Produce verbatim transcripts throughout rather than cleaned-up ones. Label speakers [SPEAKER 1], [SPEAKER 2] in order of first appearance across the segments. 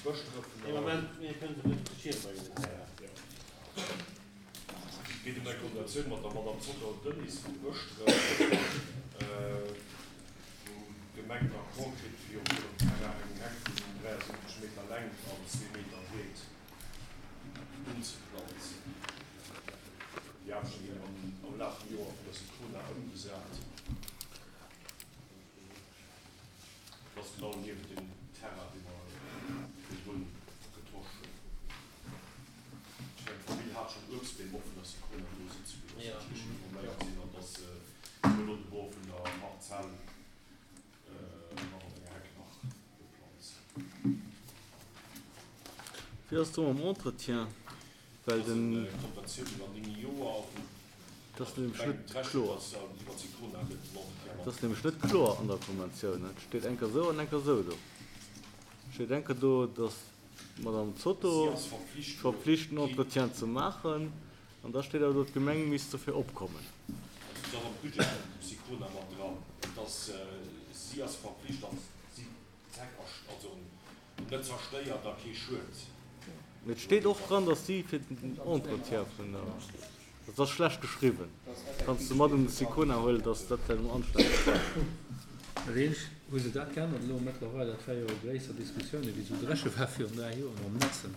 [SPEAKER 1] Bëschdrëfener.
[SPEAKER 2] Ee Moment, mir kënnen se net op de Schierm bréngen, den Terrain.
[SPEAKER 1] Et geet ëm eng Konventioun mat der Madame Zotter Denise vu Bëschdref, wou d'Gemeng en Accord kritt, fir op hirem Terrain eng Heck vun dräiasiwwenzeg Meter Längt an zwee Meter Breet unzeplanzen. Déi Aarbechte ginn am Laf vum Joer vun der Sicona ëmgesat. Dat ass genau niewent deem Terrain, dee mer virdrun getosch hunn. Ech mengen, d'Famill hat schonn Uebstbeem och vun der Sicona do sëtze gelooss, wann ech richteg informéiert sinn, an dass se elo de Bord vun der Parzell nach op enger Heck nach beplanzen.
[SPEAKER 3] Wéi ass do mam Entretien? Well den. Dat ass nämlech net kloer. Dat ass nämlech net kloer an der Konventioun. Et steet eng Kéier esou an eng Kéier esou do. Et steet eng Kéier do, datt d'Madame Zotto verpflicht den Entretien ze maachen, an da steet awer do, d'Gemeng misst dofir opkommen.
[SPEAKER 1] Net zerstéiert a kee Schued.
[SPEAKER 3] Mee et steet och dran, datt si fir den Entretien vun der, dat ass schlecht geschriwwen, kanns de mat un de Sicona huelen, datt dat vläicht emol anstänneg war.
[SPEAKER 4] Dat eenzegt, hu se dat geännert elo mëttlerweil, dat war jo e gréisser Diskussioun, wéi esou dréche war virun dräi Joer mam Netzen,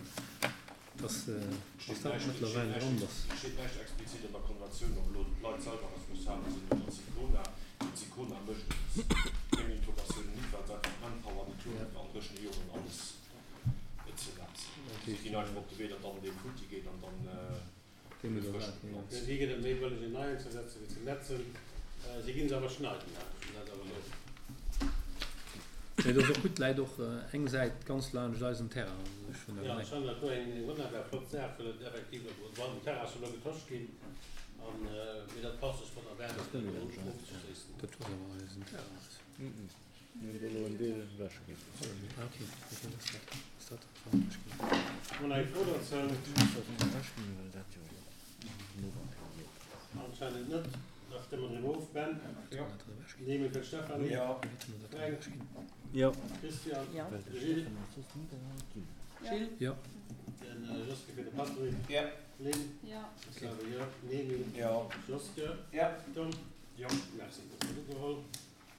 [SPEAKER 4] dass ass dat mëttlerweil dran, dass.
[SPEAKER 1] Et steet näischt explizit an der Konventioun, ob elo d'Leit selwer responsabel sinn oder d'Sicona. Mee d'Sicona mécht et meng Informatiounen nit, well se einfach d'Manpower nit hunn, fir an dréchene Joren alles ze netzen. Si ginn einfach op de Wee, datt dann dee futti geet an dann gëtt frësch geplanzt.
[SPEAKER 2] Fir si gëtt et méi bëlleg en neien ze setzen, wéi ze netzen. Si ginn se awer schneiden, dat ass awer esou.
[SPEAKER 4] Mee et ass och gutt, läit och eng Säit ganz laanscht eisem Terrain. Also ech hunn
[SPEAKER 2] Jo, ech fannen dat do eng wonnerbar flott Saach, well et effektiv, bon, den Terrain ass jo elo getosch ginn, an, mee dat passt sech wonnerbar,
[SPEAKER 4] Dat ass net méi laanscht eis, dat ass awer eisen Terrain.
[SPEAKER 3] Mir hunn do elo en Deel ewech ginn.
[SPEAKER 4] Ah ok, wéi vill ass dat? Ass dat dat wat ewech ginn?
[SPEAKER 2] Mol eng Fro dozou? Anscheinend net. Da stëmme mer driwwer of. Ben?
[SPEAKER 4] Jo.
[SPEAKER 2] Nehme fir d'Stéphanie?
[SPEAKER 4] Jo.
[SPEAKER 2] Fränk?
[SPEAKER 3] Jo.
[SPEAKER 2] Christian? Jo. Gilles?
[SPEAKER 5] Gilles?
[SPEAKER 4] Jo.
[SPEAKER 2] De Joske fir de Patrick?
[SPEAKER 6] Jo.
[SPEAKER 2] Lynn?
[SPEAKER 5] Jo.
[SPEAKER 2] Xavier? Jo. Nehmi?
[SPEAKER 6] Jo.
[SPEAKER 2] Joske?
[SPEAKER 6] Jo.
[SPEAKER 2] Tom?
[SPEAKER 1] Jo.
[SPEAKER 2] Merci. Dat ass ugeholl.